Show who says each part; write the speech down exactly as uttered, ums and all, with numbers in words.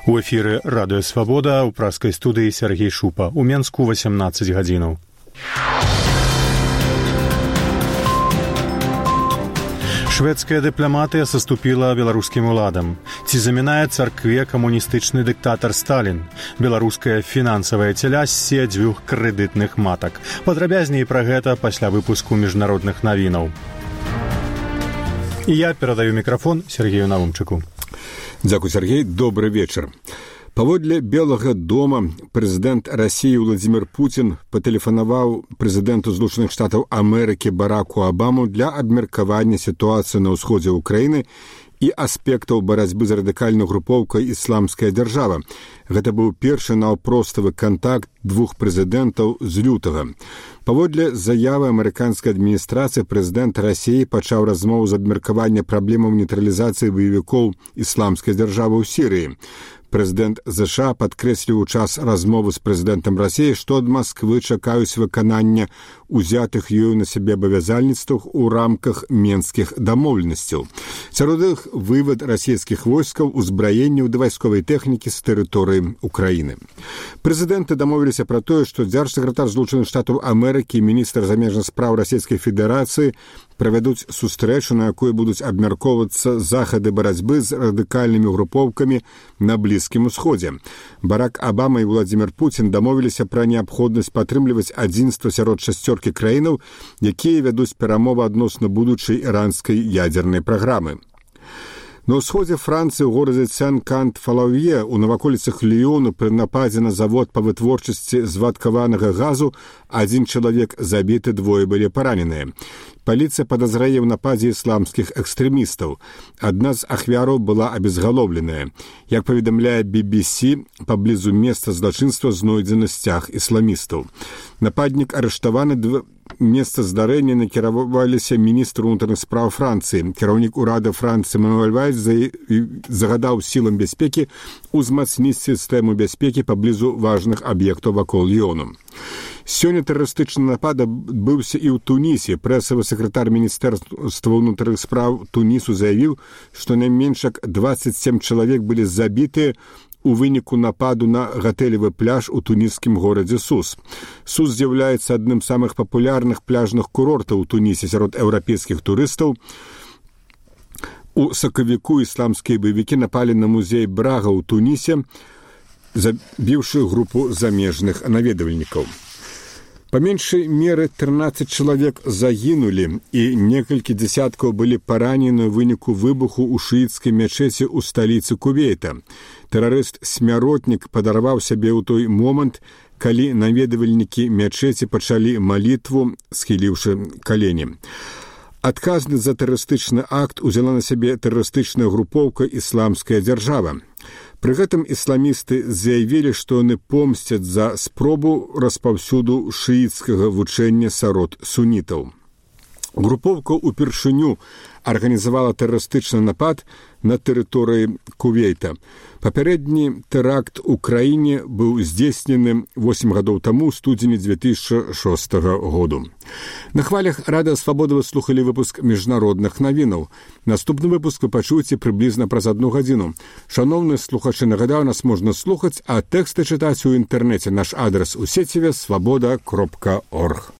Speaker 1: У эфіры радыё Свабода, у праскай студыі Сергей Шупа. У Менску восемнадцать гадзінаў. Шведская дыпламатыя саступіла беларускім уладам. Ці замінае царкве камуністычны дыктатар Сталін? Беларуская фінансавая цяля ссе дзвюх крэдытных матак. Падрабязней пра гэта пасля выпуску міжнародных навінаў. І я перадаю мікрафон Сергею Навумчыку.
Speaker 2: Дзякуй, Сергей. Добры вечар. Паводле Белага дома прэзідэнт Расіі Владзімір Пуцін патэлефанаваў прэзідэнту Злучаных Штатаў Амерыкі Бараку Абаму для абмеркавання сітуацыі на ўсходзе ўкраіны і аспектаў барацьбы з радыкальнай групоўкай «Ісламская дзяржава». Гэта быў першы наўпроставы кантакт двух прэзідэнтаў з лютага. Паводле заявы амерыканскай адміністрацыі прэзідэнт Расіі пачаў размову з абмеркавання праблемаў нейтралізацыі баевікоў «Ісламскай дзяржавы» ў Сірыі. Прэзідэнт ЗША падкрэсліў у час размовы з прэзідэнтам Расіі, што ад Масквы чакаюць выканання узятых ёю на сябе абавязальніцтваў у рамках менскіх дамоўленасцяў. Сярод іх вывад расійскіх войскаў, узбраенняў да вайсковай тэхнікі з тэрыторыі Украіны. Прэзідэнты дамовіліся пра тое, што дзяржсакратар Злучаных Штатаў Амерыкі і міністр замежных спраў Расійскай Федэрацыі правядуць сустрэчу, на якой будуць абмяркоўвацца захады барацьбы з радыкальнымі групоўкамі на Блізкім Усходзе. Барак Абама і Владзімір Пуцін дамовіліся пра неабходнасць падтрымліваць адзінства сярод шасцёркі краінаў, якія вядуць перамовы адносна будучай іранскай ядзернай праграмы. На ўсходзе Францыі ў горадзе Сен-Кант-Фалаўе у наваколіцах Ліёну пры нападзе на завод па вытворчасці звадкаванага газу адзін чалавек забіты, двое былі параненыя. Паліцыя падазрае ў нападзе ісламскіх экстрэмістаў. Адна з ахвяраў была абезгалоўленая. Як паведамляе би би сі, паблізу месца злачынства знойдзены сцяг ісламістаў. Нападнік арыштаваны, месца здарэння накіраваліся міністру ўнутраных спраў Францыі. Кіраўнік урада Францыі Мануэль Вальс загадаў сілам бяспекі узмацніць сістэму бяспекі паблізу важных аб'ектаў вакол Ліёну. Сёння тэрарыстычны напад адбыўся і ў Тунісе. Прэсавы сакратар міністэрства ўнутраных спраў Тунісу заявіў, што найменш як дваццаць сем чалавек былі забітыя у выніку нападу на гатэлевы пляж у туніскім горадзе Сус. Сус з'яўляецца адным з самых папулярных пляжных курортаў у Тунісе сярод еўрапейскіх турыстаў. У сакавіку ісламскія баевікі напалі на музей Брага ў Тунісе, забіўшы групу замежных наведвальнікаў. Па меншай меры трынаццаць чалавек загінулі і некалькі дзясяткаў былі паранены ў выніку выбуху ў шыіцкай мячэці ў сталіцы Кувейта. Тэрарыст-смяротнік падарваў сябе ў той момант, калі наведвальнікі мячэці пачалі малітву, схіліўшы калені. Адказны за тэрарыстычны акт узяла на сябе тэрарыстычная групоўка «Ісламская дзяржава». Пры гэтым ісламісты заявілі, што яны помсцяць за спробу распаўсюду шыіцкага вучэння сярод сунітаў. Групоўка ўпершыню арганізавала тэрарыстычны напад на тэрыторыі Кувейта. Папярэдні тэракт у краіне быў здзейснены восем гадоў таму ў студзені дзве тысячы шостага году. На хвалях радыё Свабода вы слухалі выпуск міжнародных навінаў. Наступны выпуск вы пачуеце прыблізна праз адну гадзіну. Шаноўныя слухачы, нагадаю, нас можна слухаць, а тэксты чытаць у інтэрнэце. Наш адрас у сеціве свабода кропка орг.